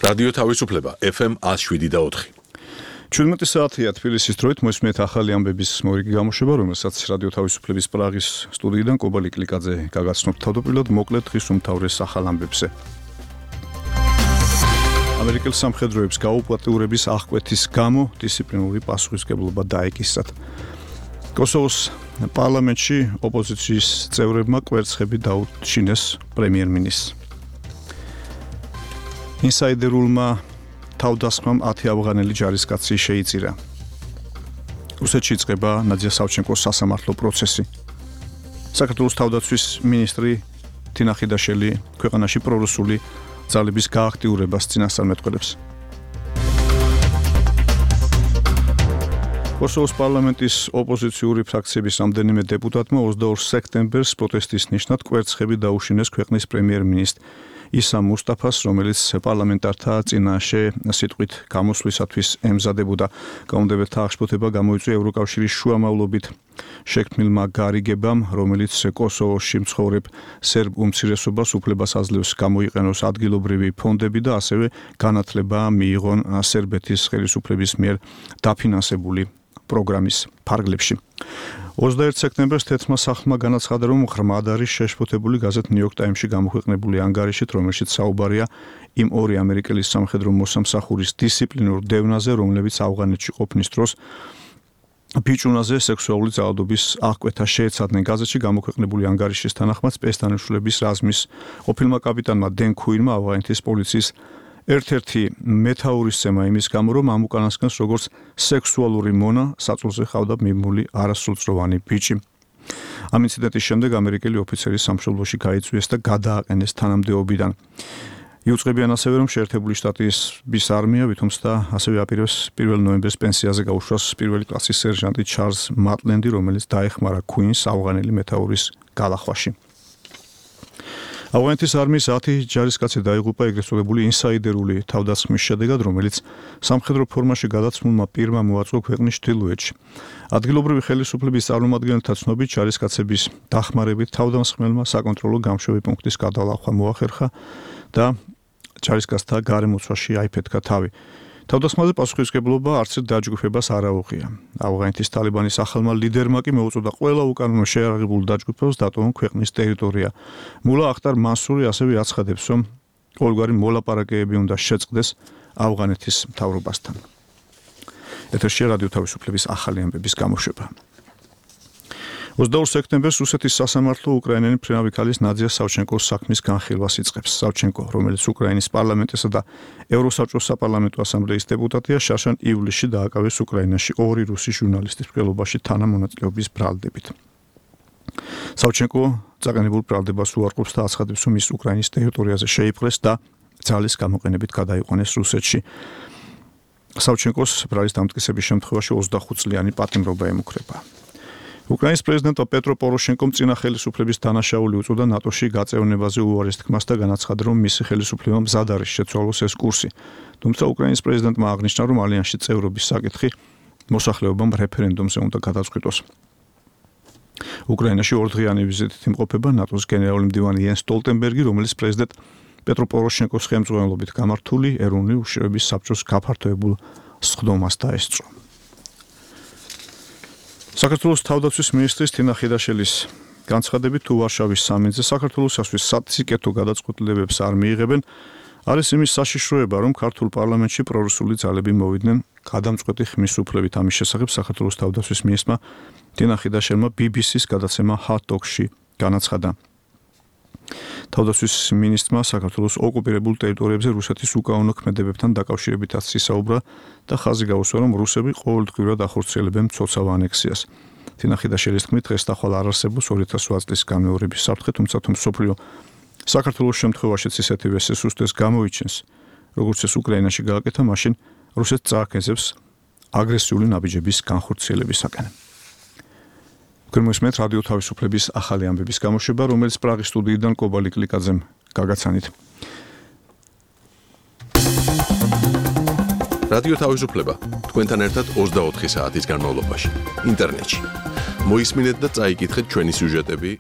რადიო თავისუფლება FM 107.4. 17 საათია თბილისის დროით მოსმენთ ახალი ამბების მორიგი გამოშვება, რომელსაც რადიო თავისუფლების პრაღის სტუდიიდან კობალი კლიკაძე გაგაცნობთ თავდაპირველად მოკლედ დღის უმთავრეს ახალ ამბებზე. ამერიკელ სამხედროებს გაუპატიურების აღკვეთის გამო დისციპლინური პასუხისმგებლობა დაეკისრათ. კოსოვოს პარლამენტში ოპოზიციის წევრებმა კვერცხები დაუჩინეს პრემიერ-მინისტრს. ინსაიდერულმა თავდასხმამ 10 ავღანელი ჯარისკაცი შეიწირა. რუსეთში იწყება ნადია სავჩენკოს სასამართლო პროცესი. საქართველოს თავდაცვის მინისტრი თინა ხიდაშელი ქვეყანაში პრორუსული ძალების გააქტიურებას წინასწარმეტყველებს. კოსოვოს პარლამენტის ოპოზიციური ფრაქციების რამდენიმე დეპუტატმა 22 სექტემბერს პროტესტის ნიშნად კვერცხები დაუშინეს ქვეყნის პრემიერ-მინისტრ ისა მუსტაფას, რომელიც პარლამენტართა წინაშე სიტყვით გამოსვლისათვის ემზადებოდა. გაუმდებელთა აღშფოთება გამოიწვია ევროკავშირის შუამავლობით შექმნილმა გარიგებამ, რომელიც კოსოვოში მცხოვრებ სერბ უმცირესობას უფლებას აძლევს გამოიყენოს ადგილობრივი ფონდები და ასევე განათლება მიიღონ სერბეთის ხელისუფლების მიერ დაფინანსებული პროგრამის ფარგლებში. 21 სექტემბერს თეთრმა სახლმა განაცხადა, რომ ღრმად არის შეშფოთებული გაზეთ New York Times-ში გამოქვეყნებული ანგარიშით, რომელშიც საუბარია იმ ორი ამერიკელი სამხედრო მოსამსახურის დისციპლინურ დევნაზე, რომლებიც ავღანეთში ყოფნის დროს ბიჭუნაზე სექსუალური ძალადობის აღკვეთას შეეცადნენ. გაზეთში გამოქვეყნებული ანგარიშის თანახმად სპეცდანიშნულების რაზმის ყოფილმა კაპიტანმა დენ ქუინმა ავღანეთის პოლიციის ერთ-ერთი მეთაურისცემა იმის გამო, რომ ამ უკანასკნელს როგორც სექსუალური მონა საწოლზე ხავდა მიმული არასრულწლოვანი ბიჭი. ამ ინციდენტის შემდეგ ამერიკელი ოფიცერი სამშობლოში გაიწვიეს და გადააყენეს თანამდებობიდან. იუწყებიან ასევე, რომ შეერთებული შტატების არმია ვითომცდა ასევე აპირებს 1 ნოემბერს პენსიაზე გაუშვას პირველი კლასის სერჟანტი ჩარლზ მატლენდი, რომელიც დაეხმარა ქუინს ავღანელი მეთაურის გალახვაში. ავღანეთის არმიის 10 ჯარისკაცი დაიღუპა ეგრეთ წოდებული ინსაიდერული თავდასხმის შედეგად, რომელიც სამხედრო ფორმაში გადაცმულმა პირმა მოაწყო ქვეყნის ჩრდილოეთში. ადგილობრივი ხელისუფლების წარმომადგენელთა ცნობით, ჯარისკაცების დახმარებით თავდამსხმელმა საკონტროლო გამშვები პუნქტის გადალახვა მოახერხა და ჯარისკაცთა გარემოცვაში აიფეთქა თავი. თავდასხმაზე პასუხისმგებლობა არც ერთ დაჯგუფებას არ აუღია. ავღანეთის ტალიბანის ახალმა ლიდერმა კი მოუწოდა ყველა უკანონო შეიარაღებულ დაჯგუფებას დატოვონ ქვეყნის ტერიტორია. მულა ახტარ მასური ასევე აცხადებს, რომ ყოველგვარი მოლაპარაკებები უნდა შეწყდეს ავღანეთის მთავრობასთან. ეთერში რადიო თავისუფლების ახალი ამბების გამოშვება. 22 სექტემბერს რუსეთის სასამართლო უკრაინელი მფრინავი ქალის ნადია სავჩენკოს საქმის განხილვას იწყებს. სავჩენკო, რომელიც უკრაინის პარლამენტისა და ევროსაბჭოს საპარლამენტო ასამბლეის დეპუტატია, შარშან ივლისში დააკავეს უკრაინაში 2 რუსი ჟურნალისტის მკვლელობაში თანამონაწილეობის ბრალდებით. სავჩენკო წაგანებულ ბრალდებას უარყოფს და აცხადებს, რომ ის უკრაინის ტერიტორიაზე შეიპყრეს და ძალის გამოყენებით გადაიყვანეს რუსეთში. სავჩენკოს ბრალის დამტკიცების შემთხვევაში 25 წლიანი პატიმრობა ემუქრება. უკრაინის პრეზიდენტმა პეტრო პოროშენკომ წინა ხელისუფლების დანაშაული უწოდა ნატოში გაწევნებაზე უარეს თქმას და განაცხადა, რომ მისი ხელისუფლება მზად არის შეცვალოს ეს კურსი. თუმცა უკრაინის პრეზიდენტმა აღნიშნა, რომ ალიანსში წევრობის საკითხი მოსახლეობამ რეფერენდუმზე უნდა გადაწყვიტოს. უკრაინაში 2 დღიანი ვიზიტით იმყოფება ნატოს გენერალური მდივანი იენს სტოლტენბერგი, რომელიც პრეზიდენტ პეტრო პოროშენკოს ხელმძღვანელობით გამართული ეროვნული უშიშროების საბჭოს გაფართოებულ სხდომას დაესწრო. საქართველოს თავდაცვის მინისტრის თინა ხიდაშელის განცხადებით, თუ ვარშავის სამინძე საქართველოსთვის საციკეთო გადაწყვეტილებებს არ მიიღებენ, არის იმის საშიშროება, რომ ქართულ პარლამენტში პრორუსული ძალები მოვიდნენ გადამწყვეტი ხმის უფლებით. ამის შესახებ საქართველოს თავდაცვის მინისტრმა თინა ხიდაშელმა BBC-ს გადაცემა Hot Talk-ში განაცხადა. თავდაცვის მინისტრმა საქართველოს ოკუპირებულ ტერიტორიებზე რუსეთის უკანონო ქმედებებთან დაკავშირებითაც ისაუბრა და ხაზი გაუსვა, რომ რუსები ყოველდღიურად ახორციელებენ მცოცავ ანექსიას. თინა ხიდაშელის თქმით, დღეს ახალ არ არსებობს 2008 წლის გამეორების საფრთხე, თუმცა თუ მსოფლიო საქართველოს შემთხვევაშიც ისეთივე სისუსტეს გამოიჩენს, როგორც ეს უკრაინაში გააკეთა, მაშინ რუსეთს წააქეზებს აგრესიული ნაბიჯების განხორციელებისაკენ. გერმანიის რადიო თავისუფლების ახალი ამბების გამოშვება, რომელიც პრაღის სტუდიიდან კობალი კლიკაძემ გაგაცანით. რადიო თავისუფლება თქვენთან ერთად 24 საათის განმავლობაში ინტერნეტში. მოისმინეთ და წაიკითხეთ ჩვენი სიუჟეტები